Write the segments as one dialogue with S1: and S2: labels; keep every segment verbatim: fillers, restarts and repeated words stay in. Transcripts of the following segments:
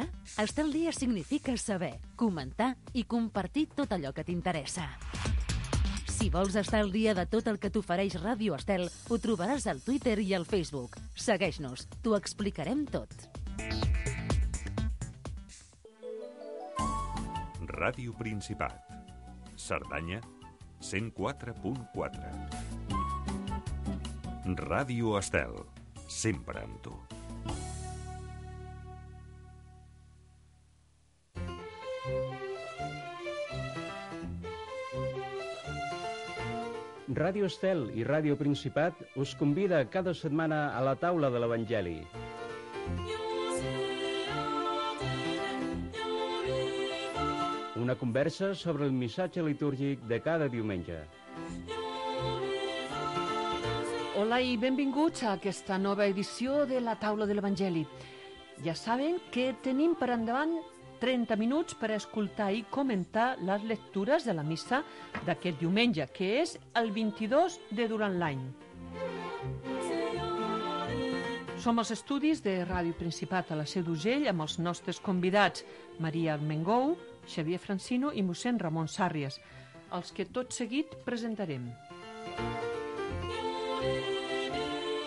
S1: dia? Estar al dia significa saber, comentar i compartir tot allò que t'interessa. Si vols estar al dia de tot el que t'ofereix Ràdio Estel, ho trobaràs al Twitter i al Facebook. Segueix-nos, t'ho explicarem tot.
S2: Ràdio Principat. Cerdanya, cent quatre punt quatre. Ràdio Estel, sempre amb tu.
S3: Ràdio Estel i Ràdio Principat us convida cada setmana a la taula de l'Evangeli. Una conversa sobre el missatge litúrgic de cada diumenge.
S4: Hola i benvinguts a aquesta nova edició de la taula de l'Evangeli. Ja saben que tenim per endavant trenta minuts per escoltar i comentar les lectures de la missa d'aquest diumenge, que és el vint-i-dos de durant l'any. Som als estudis de Ràdio Principat a la Seu d'Urgell amb els nostres convidats Maria Armengou, Xavier Francino i mossèn Ramon Sàrries, els que tot seguit presentarem.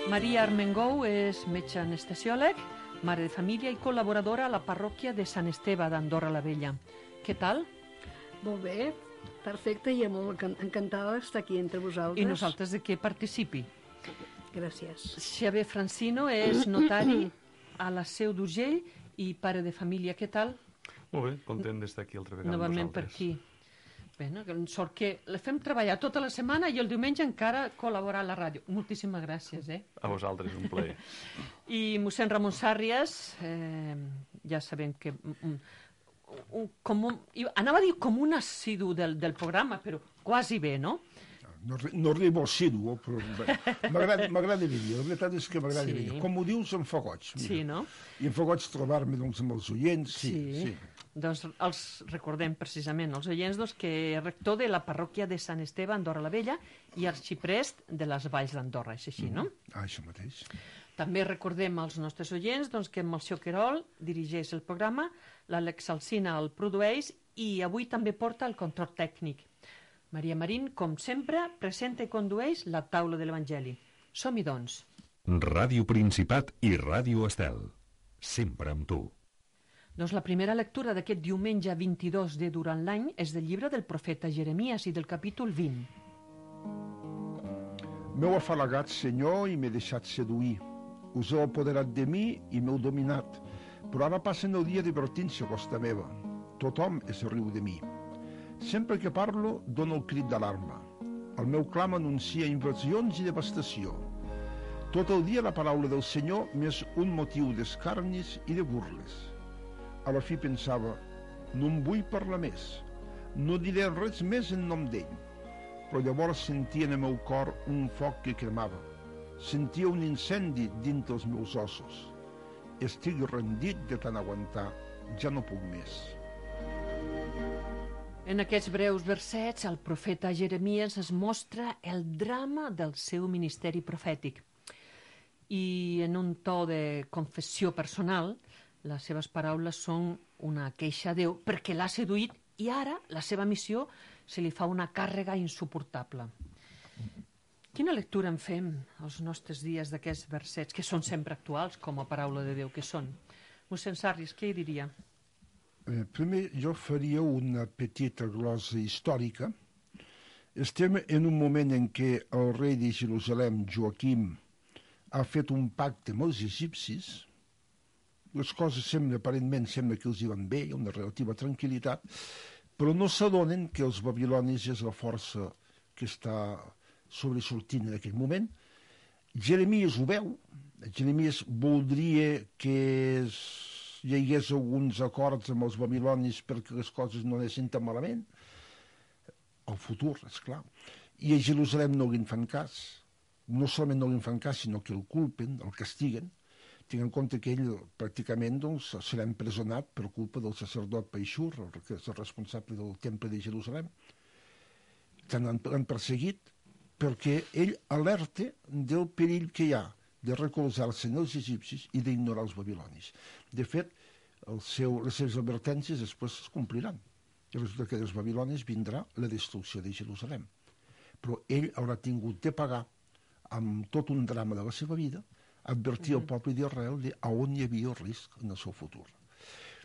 S4: Maria Armengou és metge anestesiòleg, mare de família i col·laboradora a la parròquia de Sant Esteve d'Andorra la Vella. Què tal?
S5: Molt bé, perfecte, i molt encantada d'estar aquí entre vosaltres.
S4: I nosaltres de que participi.
S5: Gràcies.
S4: Xavier Francino és notari a la Seu d'Urgell i pare de família. Què tal?
S6: Molt bé, content d'estar aquí altra vegada amb
S4: Novament per
S6: vosaltres.
S4: aquí. Bé, no? Sort que la fem treballar tota la setmana i el diumenge encara col·laborar a la ràdio. Moltíssimes gràcies, eh?
S6: A vosaltres, un plaer.
S4: I mossèn Ramon Sàrries, eh, ja sabem que... Un, un, com un, anava a dir com un assidu del, del programa, però quasi bé, no?
S7: No, no arribo assidu, però m'agrada venir. La veritat és que m'agrada
S4: Sí.
S7: venir. Com ho dius, em fa goig. Mira.
S4: Sí, no?
S7: I em fa goig trobar-me doncs, amb els oients. Sí, sí. sí.
S4: Doncs els recordem precisament, els oients, doncs, que és rector de la parròquia de Sant Esteve, Andorra la Vella, i arxiprest de les Valls d'Andorra, és així, no?
S7: Ah, això mateix.
S4: També recordem als nostres oients doncs, que Melcior Querol dirigeix el programa, l'Àlex Alsina el produeix i avui també porta el control tècnic. Maria Marín, com sempre, presenta i condueix la taula de l'Evangeli. Som-hi, doncs.
S2: Ràdio Principat i Ràdio Estel, sempre amb tu.
S4: Doncs la primera lectura d'aquest diumenge vint-i-dos de durant l'any és del llibre del profeta Jeremies i del capítol vint.
S7: M'heu afalagat, Senyor, i m'he deixat seduir. Us heu apoderat de mi i m'heu dominat. Però ara passen el dia divertint-se a costa meva. Tothom es riu de mi. Sempre que parlo, dono el crit d'alarma. El meu clam anuncia invasions i devastació. Tot el dia la paraula del Senyor m'és un motiu d'escarnis i de burles. A la fi pensava, no em vull parlar més, no diré res més en nom d'ell. Però llavors sentia en el meu cor un foc que cremava. Sentia un incendi dins dels meus ossos. Estic rendit de tant aguantar, ja no puc més.
S4: En aquests breus versets, el profeta Jeremies es mostra el drama del seu ministeri profètic. I en un to de confessió personal, les seves paraules són una queixa a Déu perquè l'ha seduït i ara la seva missió se li fa una càrrega insuportable. Quina lectura en fem els nostres dies d'aquests versets, que són sempre actuals com a paraula de Déu que són? Mossèn Sàrries, què hi diria?
S7: Eh, primer, jo faria una petita glosa històrica. Estem en un moment en què el rei de Jerusalem, Joaquim, ha fet un pacte amb els egipcis. Les coses sembla, aparentment, sembla que els hi van bé, hi ha una relativa tranquil·litat, però no s'adonen que els babilonis és la força que està sobresortint en aquell moment. Jeremies ho veu. Jeremies voldria que es hi hagués alguns acords amb els babilonis perquè les coses no anessin tan malament. El futur, esclar. I a Jerusalem no li fan cas. No solament no li fan cas, sinó que el culpen, el castiguen. Tinc en compte que ell pràcticament doncs, serà empresonat per culpa del sacerdot Paixur, que és el responsable del temple de Jerusalem. Tant l'han perseguit perquè ell alerta del perill que hi ha de recolzar-se en els egipcis i d'ignorar els babilonis. De fet, el seu, les seves advertències després es compliran. I resulta que dels babilonis vindrà la destrucció de Jerusalem. Però ell haurà tingut de pagar amb tot un drama de la seva vida, advertir al poble d'Israel de a on hi havia el risc en el seu futur.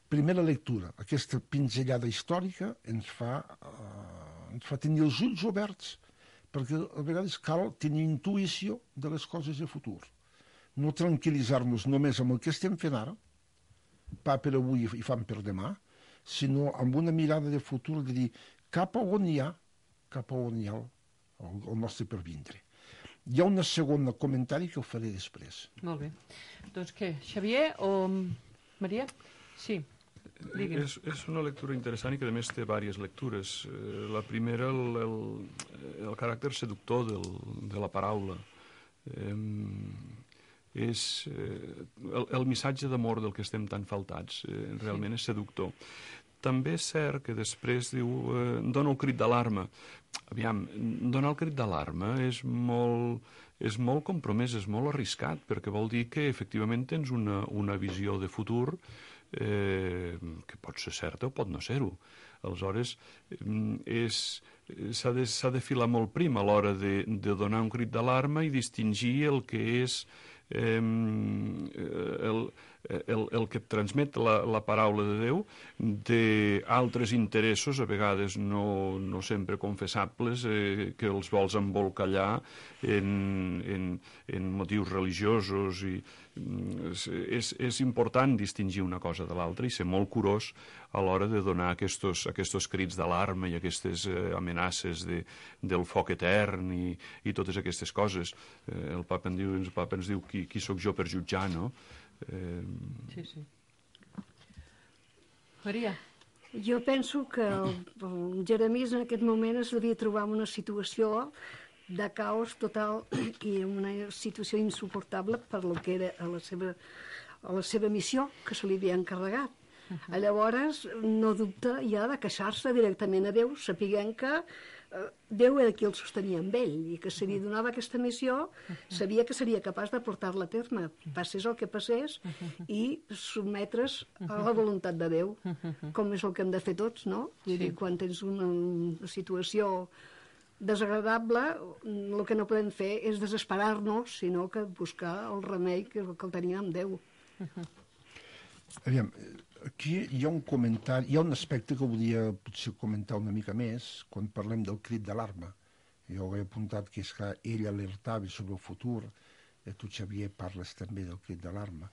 S7: Primera lectura, aquesta pinzellada històrica ens fa, uh, ens fa tenir els ulls oberts, perquè a vegades cal tenir intuïció de les coses de futur. No tranquil·litzar-nos només amb el que estem fent ara, pa per avui i fam per demà, sinó amb una mirada de futur de dir cap a on hi ha, cap a on hi ha el, el nostre pervindre. Hi ha un segon comentari que ho faré després.
S4: Molt bé. Doncs què, Xavier o Maria? Sí, digue'm.
S6: És, és una lectura interessant i que a més té diverses lectures. Eh, la primera, el, el, el caràcter seductor del, de la paraula. Eh, és eh, el, el missatge d'amor del que estem tan faltats, eh, realment sí. És seductor. També és cert que després diu, eh, dona el crit d'alarma. Aviam, donar el crit d'alarma és molt, és molt compromès, és molt arriscat, perquè vol dir que efectivament tens una, una visió de futur eh, que pot ser certa o pot no ser-ho. Aleshores, s'ha de, s'ha de filar molt prim a l'hora de, de donar un crit d'alarma i distingir el que és eh, el, el, el que et transmet la, la paraula de Déu d'altres interessos, a vegades no, no sempre confessables, eh, que els vols embolcallar en, en, en motius religiosos. I és, és important distingir una cosa de l'altra i ser molt curós a l'hora de donar aquests, aquests crits d'alarma i aquestes eh, amenaces de, del foc etern i, i totes aquestes coses. Eh, el papa ens diu, el papa ens diu qui, qui sóc jo per jutjar, no? Eh...
S4: Sí, sí. Maria?
S5: Jo penso que el, el Jeremies en aquest moment es devia trobar en una situació de caos total i una situació insuportable per lo que era a la seva, a la seva missió que se li havia encarregat. Uh-huh. Llavors no dubta ja de queixar-se directament a Déu, sapiguent que eh, Déu era qui el sostenia amb ell i que si li donava aquesta missió sabia que seria capaç de portar-la a terme, passés el que passés, i sotmetre's a la voluntat de Déu, com és el que hem de fer tots, no? Vull dir, quan tens una, una situació desagradable, el que no podem fer és desesperar-nos, sinó que buscar el remei que, que el tenim amb Déu.
S7: Aviam, aquí hi ha un comentari, hi ha un aspecte que volia potser comentar una mica més quan parlem del crit d'alarma. Jo he apuntat que és que ell alertava sobre el futur, i tu, Xavier, parles també del crit d'alarma.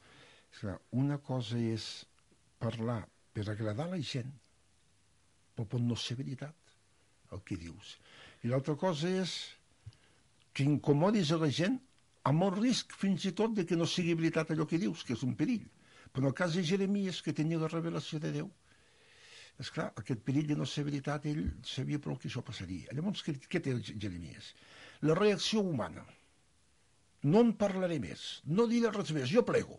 S7: És que una cosa és parlar per agradar a la gent, però pot no ser veritat el que dius. I l'altra cosa és que incomodis a la gent amb el risc fins i tot de que no sigui veritat allò que dius, que és un perill. Però en el cas de Jeremies, que tenia la revelació de Déu, esclar, aquest perill de no ser veritat, ell sabia prou que això passaria. Llavors, què, què té Jeremies? La reacció humana. No en parlaré més, no diré res més, jo plego.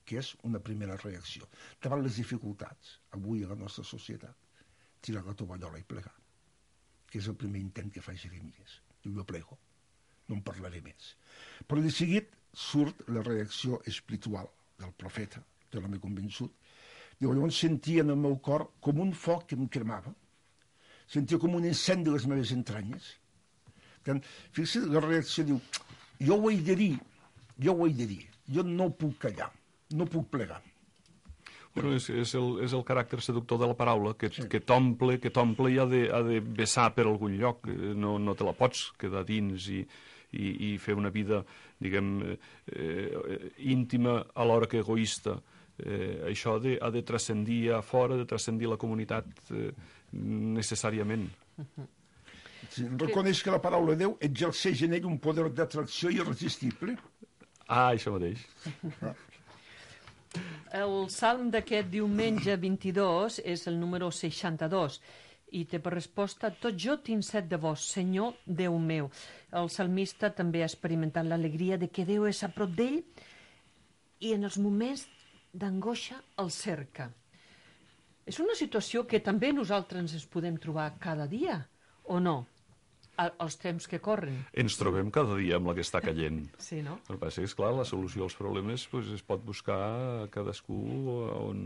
S7: Que és una primera reacció. Davant les dificultats, avui a la nostra societat, tirar la tovallola i plegar, que és el primer intent que fa Jeremies. Diu, jo plego, no en parlaré més. Però de seguit surt la reacció espiritual del profeta, de l'home convençut. Diu, llavors sentia en el meu cor com un foc que em cremava, sentia com un incendi de les meves entranyes. Fixa't, la reacció diu, jo ho he de dir, jo ho he de dir, jo no puc callar, no puc plegar.
S6: Bueno, és, és, el, és el caràcter seductor de la paraula, que, sí. que t'omple que t'omple i ha de, ha de vessar per algun lloc, no, no te la pots quedar dins i, i, i fer una vida, diguem, eh, íntima alhora que egoista. Eh, això ha de, ha de transcendir a fora, de transcendir la comunitat eh, necessàriament.
S7: Sí, reconeix que la paraula de Déu exerceix en ell un poder d'atracció irresistible.
S6: Ah, això mateix.
S7: Ah.
S4: El salm d'aquest diumenge vint-i-dos és el número seixanta-dos i té per resposta: tot jo tinc set de vos, Senyor Déu meu. El salmista també ha experimentat l'alegria de que Déu és a prop d'ell i en els moments d'angoixa el cerca. És una situació que també nosaltres ens podem trobar cada dia, o no? als temps que corren.
S6: Ens trobem cada dia amb la que està caient.
S4: Sí, no?
S6: El que passa és, clar, la solució als problemes pues, es pot buscar cadascú on,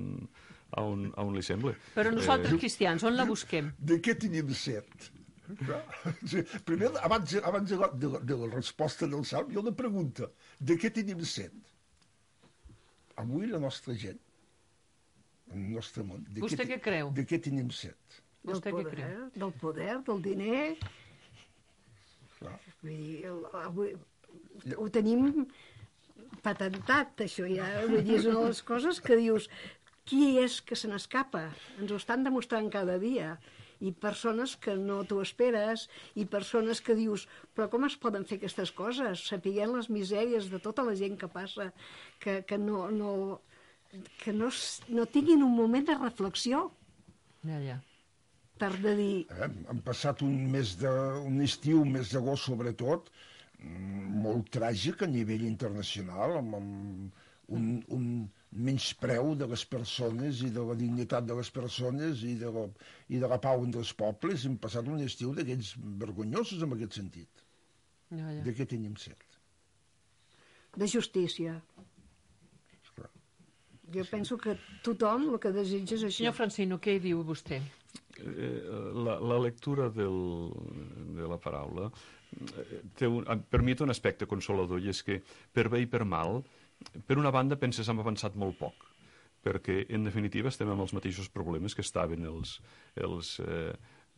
S6: on, on li sembla.
S4: Però nosaltres, cristians, on la busquem?
S7: De què tenim set? Clar. Primer, abans, abans de, la, de, la, de la resposta del Salm, hi ha una pregunta. De què tenim set? Avui la nostra gent, el nostre món. De
S4: Vostè què creu?
S7: De què tenim set?
S5: Del
S4: Vostè què
S5: poder,
S4: creu?
S5: del poder, del diner.
S7: Clar.
S5: Vull dir, el- avui ho tenim patentat, això ja. Vull dir, és una de les coses que dius, qui és que se n'escapa? Ens ho estan demostrant cada dia. I persones que no t'ho esperes, i persones que dius, però com es poden fer aquestes coses? Sapiguent les misèries de tota la gent que passa, que, que no, no, que no, s- no tinguin un moment de reflexió
S4: Ja, ja.
S5: per de dir,
S7: Eh? Han passat un mes de, un estiu, un mes d'agost sobretot, mm, molt tràgic a nivell internacional, amb, amb un, un menyspreu de les persones i de la dignitat de les persones i de la, i de la pau entre els pobles. Hem passat un estiu d'aquells vergonyosos en aquest sentit.
S4: Ja, ja.
S7: De què tenim set?
S5: de justícia.
S7: Esclar.
S5: Jo penso que tothom el que desitja és això.
S4: Senyor Francino, què diu vostè?
S6: Eh, la, la lectura del, de la paraula eh, té un, per mi té un aspecte consolador, i és que per bé i per mal, per una banda penses hem avançat molt poc, perquè en definitiva estem amb els mateixos problemes que estaven els, els eh,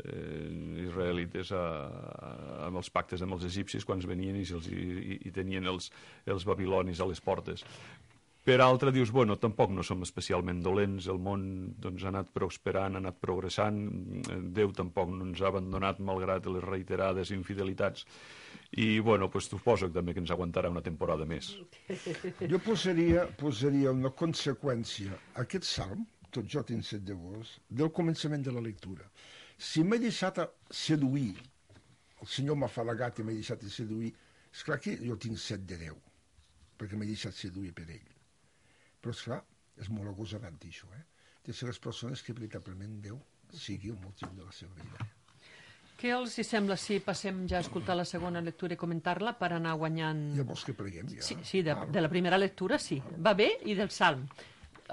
S6: eh, israelites a, a, amb els pactes amb els egipcis quan venien i, els, i, i tenien els, els babilonis a les portes. Per altra, dius, bueno, tampoc no som especialment dolents, el món doncs, ha anat prosperant, ha anat progressant, Déu tampoc no ens ha abandonat malgrat les reiterades infidelitats, i, bueno, pues, suposo també que ens aguantarà una temporada més.
S7: Jo posaria, posaria una conseqüència a aquest salm, tot jo tinc set de vos, del començament de la lectura. Si m'he deixat a seduir, el Senyor m'ha falagat i m'he deixat a seduir, esclar que jo tinc set de deu, perquè m'he deixat seduir per ell. Però, esclar, és molt agosarat dir això, eh? De ser les persones que veritablement Déu sigui el motiu de la seva vida.
S4: Què els hi sembla si passem ja a escoltar la segona lectura i comentar-la per anar guanyant...
S7: Llavors que preguem ja.
S4: Sí, sí, de, de la primera lectura sí. Va bé, i del Salm.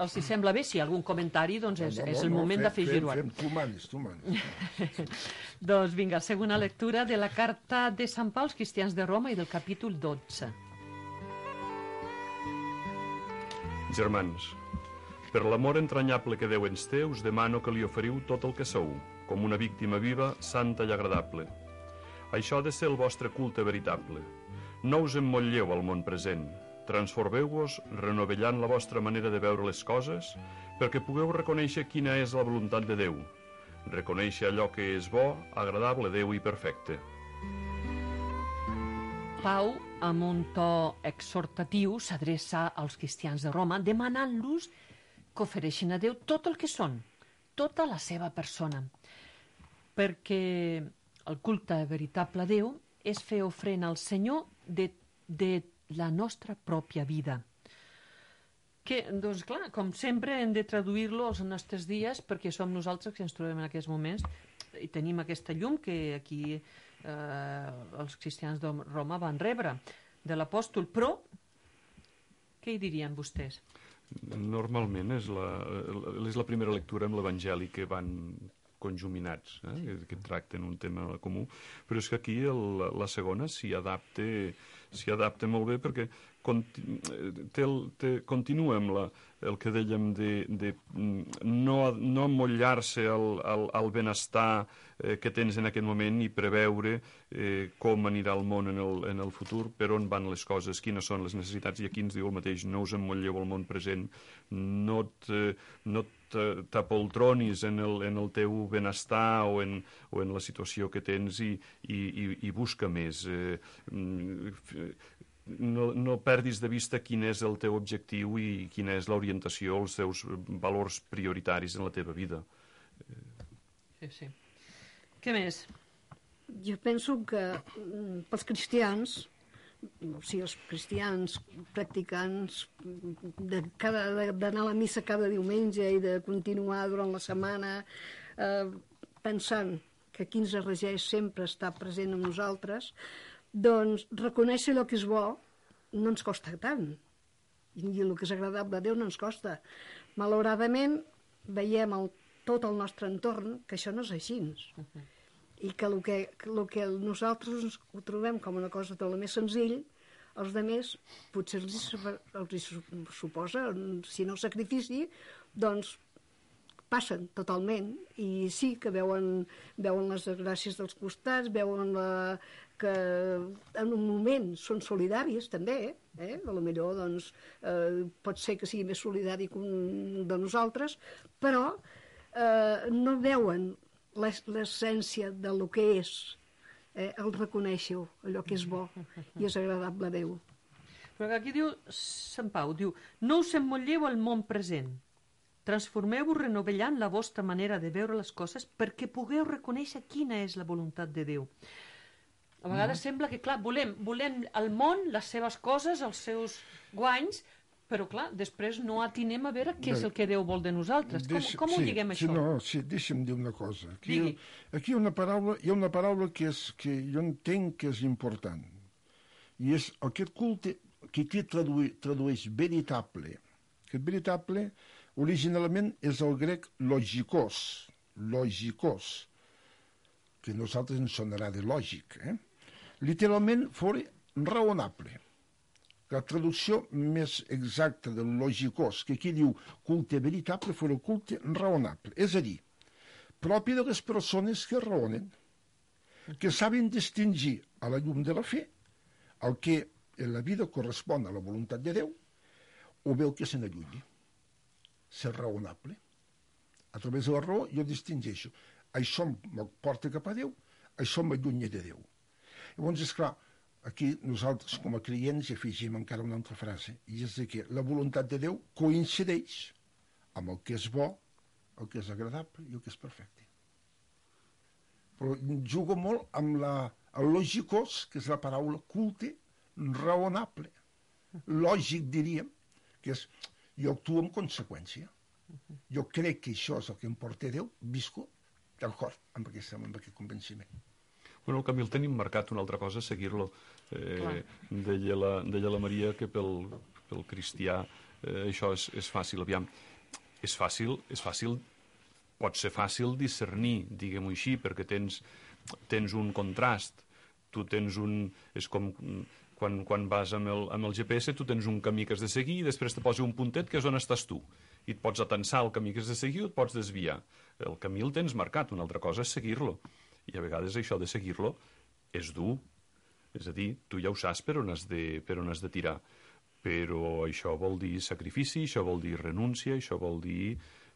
S4: Els hi sembla bé? Si hi ha algun comentari, doncs és, és el moment d'afegir-ho.
S7: Fem, fem, tu manes, tu manes.
S4: Doncs vinga, segona lectura de la carta de Sant Pau als cristians de Roma i del capítol dotze.
S6: Germans, per l'amor entranyable que Déu ens té, us demano que li oferiu tot el que sou, com una víctima viva, santa i agradable. Això ha de ser el vostre culte veritable. No us emmotlleu al món present. Transformeu-vos renovellant la vostra manera de veure les coses perquè pugueu reconèixer quina és la voluntat de Déu. Reconèixer allò que és bo, agradable a Déu i perfecte.
S4: Pau, amb un to exhortatiu, s'adreça als cristians de Roma demanant-los que ofereixin a Déu tot el que són, tota la seva persona, perquè el culte veritable a Déu és fer ofrena al Senyor de, de la nostra pròpia vida. Que, doncs clar, com sempre hem de traduir-lo als nostres dies perquè som nosaltres que ens trobem en aquests moments i tenim aquesta llum que aquí eh, els cristians de Roma van rebre de l'apòstol, però què hi dirien vostès?
S6: Normalment és la, és la primera lectura amb l'Evangeli que van conjuminats, eh? que tracten un tema comú, però és que aquí el, la segona s'hi adapta, s'hi adapta molt bé perquè conti, té el, té, continua amb la, el que dèiem de, de no, no emmotllar-se al, al, al benestar eh, que tens en aquest moment i preveure eh, com anirà el món en el, en el futur, per on van les coses, quines són les necessitats, i aquí ens diu el mateix, no us emmotlleu al món present, no te, no t'apoltronis en el, en el teu benestar o en, o en la situació que tens i, i, i, i busca més. Eh, no, no perdis de vista quin és el teu objectiu i quina és l'orientació, els teus valors prioritaris en la teva vida.
S4: Sí, sí. Què més?
S5: Jo penso que mm, pels cristians, o sigui, els cristians practicants de cada, de, d'anar a la missa cada diumenge i de continuar durant la setmana eh, pensant que aquí ens regeix sempre està present amb nosaltres, doncs reconèixer el que és bo no ens costa tant. I el que és agradable a Déu no ens costa. Malauradament, veiem el, tot el nostre entorn que això no és així. Uh-huh. I que el que, el que nosaltres ho trobem com una cosa tot el més senzill, els altres potser els, els suposa, si no sacrifici, doncs passen totalment, i sí que veuen, veuen les gràcies dels costats, veuen la, que en un moment són solidaris també, eh? A lo millor doncs, eh, pot ser que sigui més solidari que un de nosaltres, però eh, no veuen l'essència del que és, eh, el reconèixer allò que és bo i és agradable a Déu.
S4: Però aquí diu Sant Pau, diu, no us emmotlleu al món present, transformeu-vos renovellant la vostra manera de veure les coses perquè pugueu reconèixer quina és la voluntat de Déu. A vegades mm. sembla que, clar, volem, volem el món, les seves coses, els seus guanys, però, clar, després no atinem a veure què és el que Déu vol de nosaltres. Com,
S7: Deixa,
S4: com ho
S7: sí,
S4: lliguem,
S7: sí,
S4: això?
S7: No, sí, deixa'm dir una cosa. Aquí,
S4: Digui.
S7: aquí hi ha una paraula, hi ha una paraula que, és, que jo entenc que és important. I és aquest culte que aquí traduï, tradueix veritable. Aquest veritable, originalment, és el grec logikos. Logikos. Que a nosaltres ens sonarà de lògic. Eh? Literalment, fora raonable. La traducció més exacta del logikos, que aquí diu culte veritable, fora el culte raonable. És a dir, propi de les persones que raonen, que saben distingir a la llum de la fe el que en la vida correspon a la voluntat de Déu o bé el que se n'allunyi. Ser raonable. A través de la raó jo distingeixo. Això em porta cap a Déu, això m'allunya de Déu. Llavors, esclar, aquí nosaltres com a creients afegim encara una altra frase, i és que la voluntat de Déu coincideix amb el que és bo, el que és agradable i el que és perfecte. Però jugo molt amb la, el logikos, que és la paraula culte, raonable. Lògic, diríem, que és jo actuo en conseqüència. Jo crec que això és el que em porta Déu, visco d'acord amb aquest, amb aquest convenciment.
S6: Bueno, el camí el tenim marcat, una altra cosa, seguir-lo. Eh, deia, la, deia la Maria que pel, pel cristià eh, això és, és fàcil. Aviam, és fàcil, és fàcil, pot ser fàcil discernir, diguem-ho així, perquè tens, tens un contrast, tu tens un... És com quan, quan vas amb el, amb el G P S, tu tens un camí que has de seguir i després te posa un puntet que és on estàs tu. I et pots atensar el camí que has de seguir o et pots desviar. El camí el tens marcat, una altra cosa és seguir-lo. I a vegades això de seguir-lo és dur. És a dir, tu ja ho saps per on has de, per on has de tirar. Però això vol dir sacrifici, això vol dir renúncia, això vol dir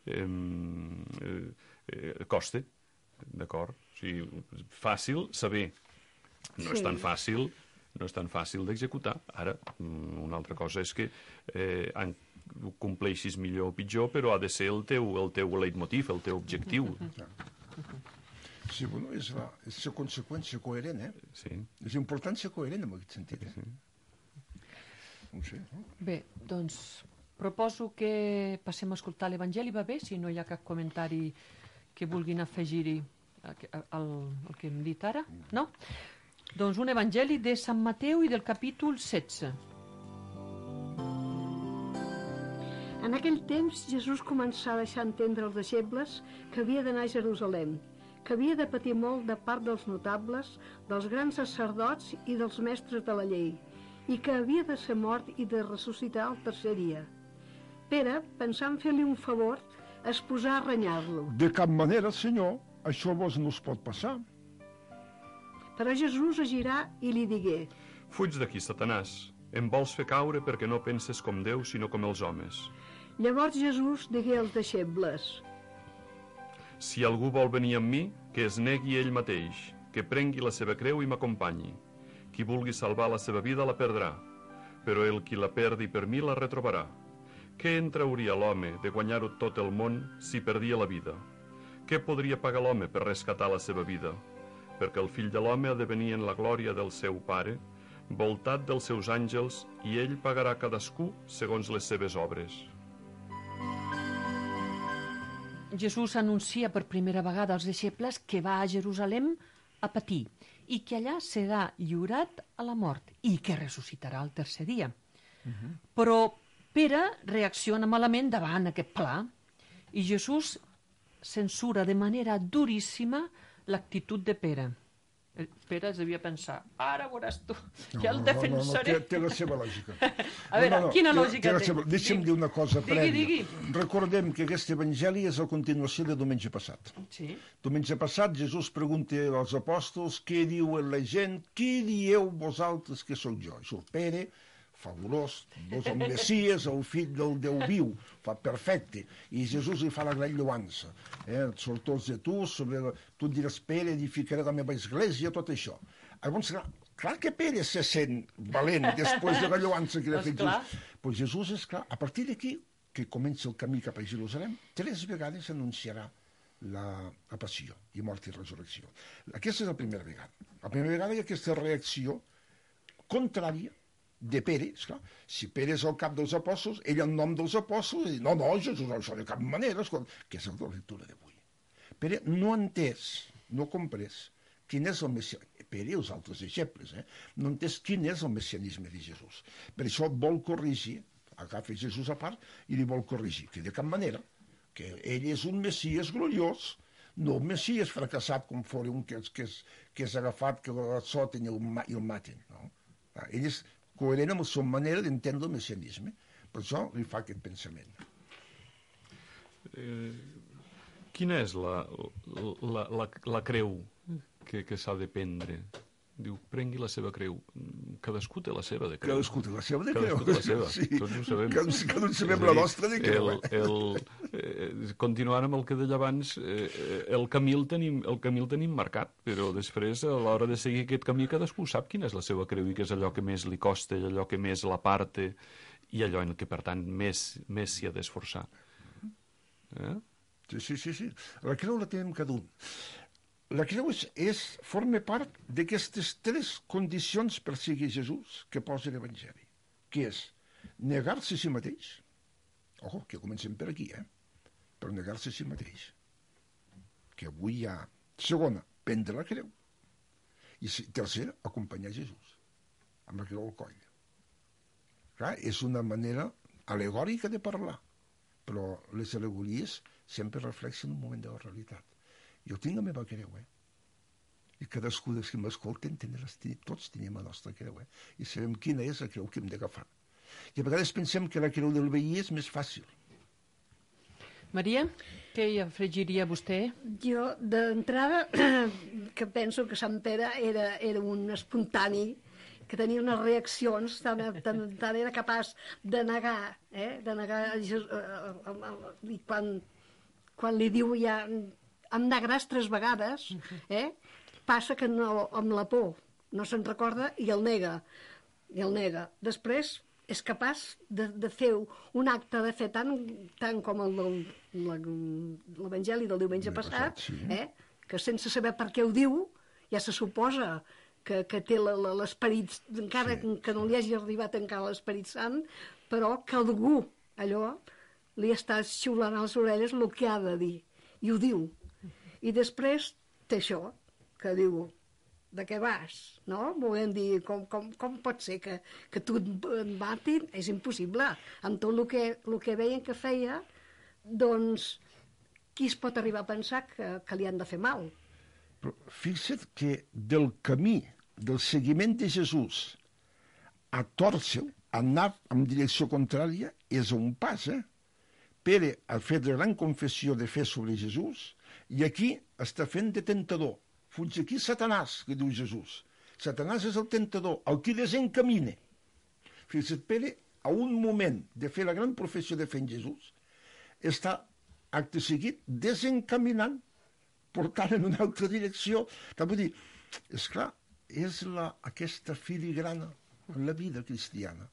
S6: eh, eh, coste, d'acord? O sigui, fàcil saber. No és tan fàcil, no és tan fàcil d'executar. Ara, una altra cosa és que eh, ho compleixis millor o pitjor, però ha de ser el teu, el teu leitmotiv, el teu objectiu.
S7: Sí, bueno, és la, és la conseqüència coherent, eh?
S6: Sí.
S7: És important ser coherent en aquest sentit, eh?
S6: Sí.
S7: No sé, no?
S4: Bé, doncs proposo que passem a escoltar l'Evangeli, va bé? Si no hi ha cap comentari que vulguin afegir-hi al, al que hem dit ara, no? Doncs un Evangeli de Sant Mateu i del capítol setze.
S5: En aquell temps, Jesús començà a deixar entendre als deixebles que havia d'anar a Jerusalem, que havia de patir molt de part dels notables, dels grans sacerdots i dels mestres de la llei, i que havia de ser mort i de ressuscitar el tercer dia. Pere, pensant fer-li un favor, es posà a renyar-lo.
S7: De cap manera, senyor, això vos no us pot passar.
S5: Però Jesús es girà i li digué:
S6: Fuig d'aquí, Satanàs. Em vols fer caure perquè no penses com Déu, sinó com els homes.
S5: Llavors Jesús digué als deixebles:
S6: Si algú vol venir amb mi, que es negui ell mateix, que prengui la seva creu i m'acompanyi. Qui vulgui salvar la seva vida la perdrà, però el qui la perdi per mi la retrobarà. Què en trauria l'home de guanyar-ho tot el món si perdia la vida? Què podria pagar l'home per rescatar la seva vida? Perquè el fill de l'home ha de venir en la glòria del seu Pare, voltat dels seus àngels, i ell pagarà cadascú segons les seves obres.
S4: Jesús anuncia per primera vegada als deixebles que va a Jerusalem a patir i que allà serà lliurat a la mort i que ressuscitarà el tercer dia. Uh-huh. Però Pere reacciona malament davant aquest pla i Jesús censura de manera duríssima l'actitud de Pere. Pere es devia pensar, ara veuràs tu, ja el defensaré.
S7: No, no, no, té, té la seva lògica.
S4: A veure, no, no, quina té, lògica té? té?
S7: Deixa'm dir una cosa
S4: digui,
S7: prèvia.
S4: Digui.
S7: Recordem que aquest evangeli és la continuació de diumenge passat.
S4: Sí.
S7: Diumenge passat Jesús pregunta als apòstols què diuen la gent, qui dieu vosaltres que sóc jo? I surt Pere, fabulós, doncs el Messies, el fill del Déu viu, fa perfecte, i Jesús li fa la gran lloança, eh? Sortós de tu, sobre la... tu diràs Pere, edificaré la meva església, tot això. Llavors, clar, clar que Pere se sent valent després de la lloança que li ha fet Jesús. Però Jesús, és clar, a partir d'aquí, que comença el camí cap a Jerusalem, tres vegades anunciarà la, la passió, i mort i resurrecció. Aquesta és la primera vegada. La primera vegada hi ha aquesta reacció contrària de Pere, esclar. Si Pere és el cap dels apòstols, ell en nom dels apòstols, no, no, Jesús, això de cap manera, escolta, que és la lectura d'avui. Pere no ha entès, no ha comprès quin és el messianisme, Pere i els altres deixebles, eh? no ha entès quin és el messianisme de Jesús. Per això vol corregir, agafa Jesús a part i li vol corregir, que de cap manera, que ell és un messies gloriós, no un messies fracassat com fora un que és, que és, que és agafat, que el soten i el, i el maten. No? Ell és coherent amb la seva manera d'entendre el messianisme. Per això li fa aquest pensament.
S6: Eh, quina és la, la, la, la creu que, que s'ha de prendre? Diu, prengui la seva creu. Cadascú té la seva de creu.
S7: Cadascú té la seva de creu.
S6: Cadascú té la seva,
S7: sí.
S6: Tots ho sabem.
S7: Cada, cada sabem la nostra de creu.
S6: El, el, eh, continuant amb el que deia abans, eh, el, camí el, tenim, el camí el tenim marcat, però després, a l'hora de seguir aquest camí, cadascú sap quina és la seva creu i què és allò que més li costa i allò que més l'aparte i allò en què, per tant, més més s'hi ha d'esforçar. Eh?
S7: Sí, sí, sí, sí. La creu la tenim cada un. La creu és, és, forma part d'aquestes tres condicions per seguir Jesús que posa l'Evangeli, que és negar-se a si mateix, ojo, que comencem per aquí, eh? Per negar-se a si mateix, que avui hi ha. Segona, prendre la creu. I tercera, acompanyar Jesús, amb la creu al coll. Clar, és una manera alegòrica de parlar, però les al·legories sempre reflexen un moment de la realitat. Jo tinc la meva creu, eh? I cadascú dels que m'escolten, tots tenim la nostra creu, eh? I sabem quina és la creu que hem d'agafar. I a vegades pensem que la creu del veí és més fàcil.
S4: Maria, què hi afegiria vostè?
S5: Jo, d'entrada, que penso que Sant Pere era, era un espontani, que tenia unes reaccions, tant, tant, tant era capaç de negar, eh? de negar, i quan, quan li diu ja... em negaràs tres vegades, eh? Passa que no, amb la por no se'n recorda i el nega, i el nega. Després és capaç de, de fer un acte de fe tant, tant com el del l'Evangeli del diumenge passat,
S7: sí.
S5: eh? Que sense saber per què ho diu, ja se suposa que, que té l'esperit, encara sí. que no li hagi arribat encara l'Esperit Sant, però que algú, allò, li està xiulant a les orelles el que ha de dir, i ho diu. I després té això, que diu, de què vas, no? Volem dir, com, com, com pot ser que, que tu et matin? És impossible. Amb tot el que, el que veien que feia, doncs, qui es pot arribar a pensar que, que li han de fer mal?
S7: Però fixa't que del camí del seguiment de Jesús a tòrcer, a anar en direcció contrària, és un pas, eh? Pere ha fet la gran confessió de fe sobre Jesús i aquí està fent de tentador. Fuig aquí Satanàs, que diu Jesús. Satanàs és el tentador, el que desencamina. Fixa't, Pere, a un moment de fer la gran professió de fe en Jesús, està, acte seguit, desencaminant, portant en una altra direcció. Vull dir, esclar, és la, aquesta filigrana en la vida cristiana.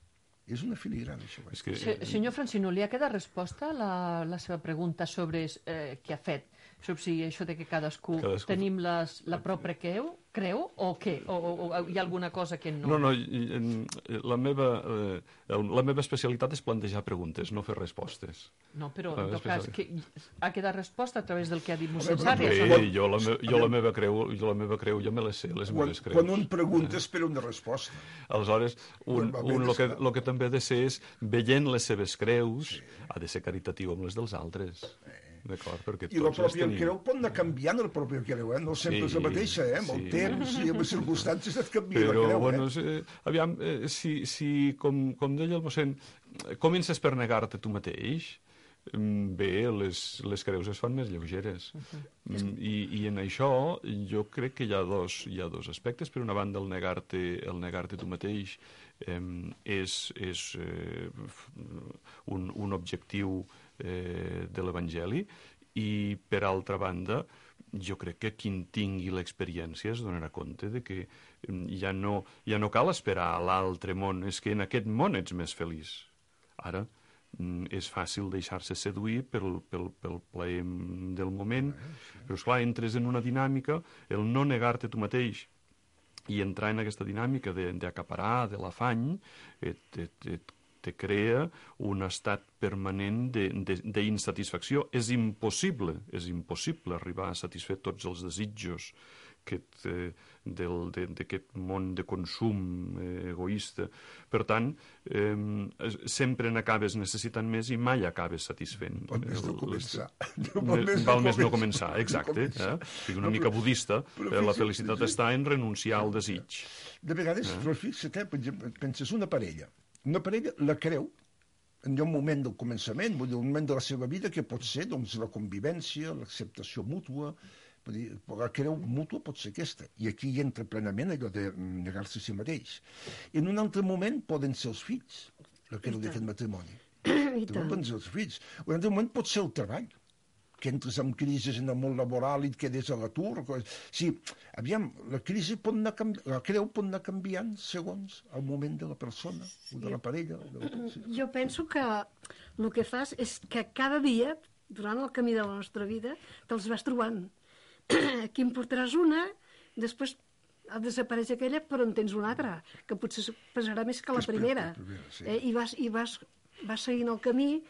S7: És una filigrana, això.
S6: És que...
S4: Se, senyor Francino, li ha quedat resposta a la, la seva pregunta sobre eh, què ha fet? Sobre si això de que cadascú, cadascú... tenim les, la pròpia creu, creu o què? O, o, o hi ha alguna cosa que no?
S6: No, no, la meva, eh, la meva especialitat és plantejar preguntes, no fer respostes.
S4: No, però
S6: La
S4: en tot
S6: meva
S4: cas que ha quedat resposta a través del que ha dit mossèn
S7: Bé,
S4: Sàrries.
S6: Sí, jo la, me, jo la meva creu, jo la meva creu, jo me les sé, les
S7: Quan,
S6: meves creus.
S7: quan un pregunta espera una resposta.
S6: Aleshores, un,
S7: Normalment
S6: un el, que,
S7: és clar.
S6: el que també ha de ser és, veient les seves creus, ha de ser caritatiu amb les dels altres. D'acord? Perquè
S7: I la
S6: tots les
S7: pròpia
S6: tenim.
S7: creu pot anar canviant, la pròpia creu, eh? No sempre és la
S6: Sí,
S7: mateixa, eh? Amb el
S6: sí.
S7: temps i amb les circumstàncies et canvia
S6: Però,
S7: la creu,
S6: bueno,
S7: eh?
S6: eh, aviam, eh, si, si com, com deia el mossèn, comences per negar-te tu mateix, mm, bé, les, les creus es fan més lleugeres. Mm, I, I en això jo crec que hi ha dos, hi ha dos aspectes. Per una banda, el negar-te el negar-te tu mateix eh, és, és eh, un, un objectiu eh, de l'Evangeli, i per altra banda jo crec que qui en tingui l'experiència es donarà compte de que ja no, ja no cal esperar a l'altre món, és que en aquest món ets més feliç. Ara és fàcil deixar-se seduir pel, pel, pel plaer del moment, però esclar, entres en una dinàmica, el no negar-te tu mateix i entrar en aquesta dinàmica d'acaparar, de, de l'afany, et, et, et te crea un estat permanent d'insatisfacció. És impossible, és impossible arribar a satisfer tots els desitjos d'aquest món de consum eh, egoista. Per tant, eh, sempre n'acabes necessitant més i mai acabes satisfent.
S7: Val més no començar.
S6: Val més no començar, exacte. Eh? Una mica budista, eh, la felicitat està en renunciar al desig.
S7: De vegades,
S6: Eh?
S7: però fixa't, eh, per exemple, penses una parella. Una parella la creu en un moment del començament, vull dir, un moment de la seva vida que pot ser doncs, la convivència, l'acceptació mútua, vull dir, la creu mútua pot ser aquesta. I aquí hi entra plenament allò de negar-se a si mateix. En un altre moment poden ser els fills, la creu d'aquest matrimoni.
S5: I
S7: També
S5: tant.
S7: poden ser els fills. Un altre moment pot ser el treball, que entres en crisi en el món laboral i et quedes a l'atur. Sí, aviam, la crisi pot anar canvi... la creu pot anar canviant segons el moment de la persona, o de la parella. O de la... Sí.
S5: Jo penso que el que fas és que cada dia, durant el camí de la nostra vida, te'ls vas trobant. Aquí en portaràs una, després desapareix aquella, però en tens una altra, que potser pesarà més que la
S7: Que és
S5: primera.
S7: per- per primera, sí.
S5: eh? I, vas, i vas, vas seguint el camí,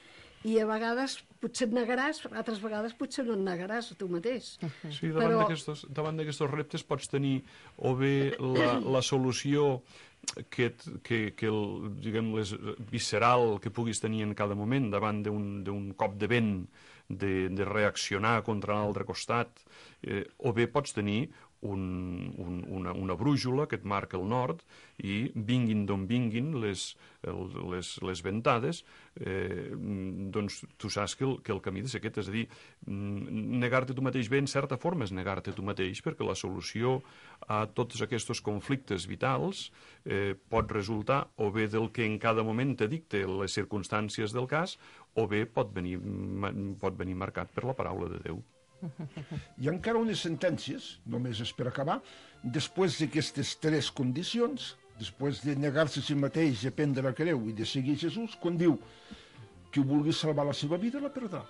S5: i a vegades potser et negaràs, altres vegades potser no et negaràs a tu mateix.
S6: Sí, davant
S5: Però-
S6: d'aquestos davant d'aquestos reptes pots tenir o bé la, la solució que, et- que, que el, diguem, les, visceral que puguis tenir en cada moment davant d'un d'un cop de vent, de, de reaccionar contra l'altre costat, eh, o bé pots tenir un, un, una, una brújula que et marca el nord i vinguin d'on vinguin les, el, les, les ventades, eh, doncs tu saps que el, que el camí de ser aquest, és a dir, negar-te tu mateix bé en certa forma és negar-te tu mateix, perquè la solució a tots aquests conflictes vitals eh, pot resultar o bé del que en cada moment te dicte les circumstàncies del cas, o bé pot venir, pot venir marcat per la paraula de Déu.
S7: Hi ha encara unes sentències, només és per acabar, després d'aquestes tres condicions, després de negar-se a si mateix, de prendre la creu i de seguir Jesús, quan diu qui vulgui salvar la seva vida la perdrà.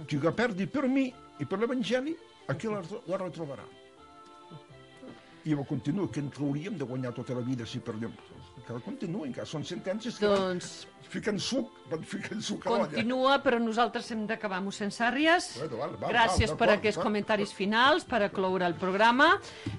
S7: Qui la perdi per mi i per l'Evangeli, aquí la, la retrobarà. I llavors continua, que ens hauríem de guanyar tota la vida si perdem. Encara continua, encara són sentències que
S4: Doncs
S7: van ficant suc, van ficant suc a l'olla.
S4: continua, però nosaltres hem d'acabar, mossèn Sàrries.
S7: Bueno, val, val,
S4: Gràcies
S7: val,
S4: per
S7: d'acord,
S4: aquests
S7: d'acord.
S4: comentaris finals, per acloure el programa.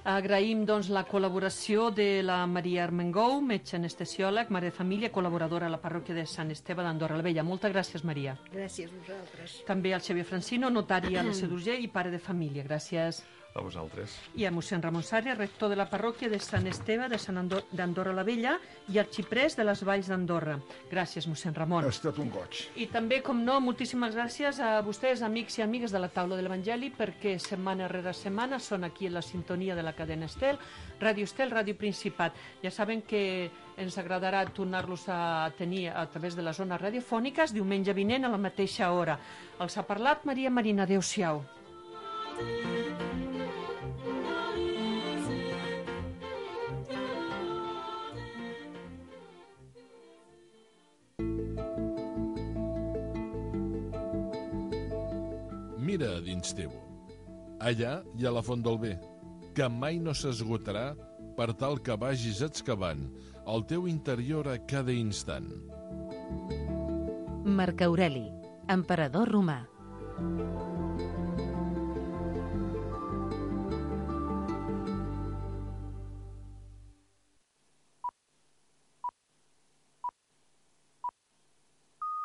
S4: Agraïm doncs, la col·laboració de la Maria Armengou, metge anestesiòleg, mare de família, col·laboradora a la parròquia de Sant Esteve d'Andorra la Vella. Moltes gràcies, Maria.
S5: Gràcies a vosaltres.
S4: També al Xavier Francino, notari a la C d'Urgell i pare de família. Gràcies.
S6: A vosaltres.
S4: I a mossèn Ramon Sàrries, rector de la parròquia de Sant Esteve de Sant Andor d'Andorra la Vella i arxiprés de les Valls d'Andorra. Gràcies, mossèn Ramon.
S7: Ha estat un goig.
S4: I també, com no, moltíssimes gràcies a vostès, amics i amigues de la taula de l'Evangeli, perquè setmana rere setmana són aquí en la sintonia de la cadena Estel, Ràdio Estel, Ràdio Principat. Ja saben que ens agradarà tornar-los a tenir a través de les zones radiofòniques diumenge vinent a la mateixa hora. Els ha parlat Maria Marina. Adéu-siau.
S8: Mira a dins teu. Allà hi ha la font del bé. que mai no s'esgotarà per tal que vagis excavant el teu interior a cada instant.
S1: Marc Aureli, emperador romà.